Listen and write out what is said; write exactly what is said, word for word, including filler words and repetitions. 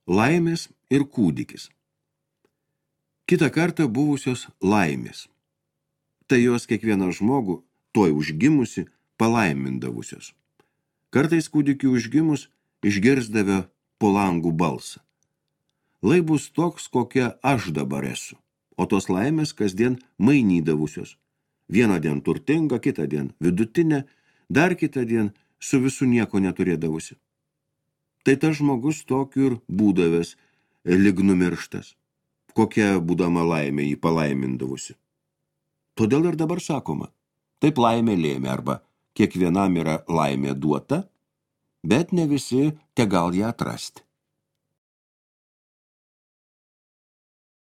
Laimės ir kūdikis. Kitą kartą buvusios laimės. Tai jos kiekvieną žmogų, tuoj užgimusi, palaimindavusios. Kartais kūdikių užgimus išgirsdavę po langų balsą. Lai bus toks, kokia aš dabar esu, o tos laimės kasdien mainydavusios. Vieną dieną turtinga, kitą dieną vidutinė, dar kitą dieną su visu nieko neturėdavusi. Tai tas žmogus tokiu ir būdavęs lyg numirštas, kokia būdama laimė jį palaimindavusi. Todėl ir dabar sakoma, taip laimė lėmė arba kiekvienam yra laimė duota, bet ne visi te gal ją atrasti.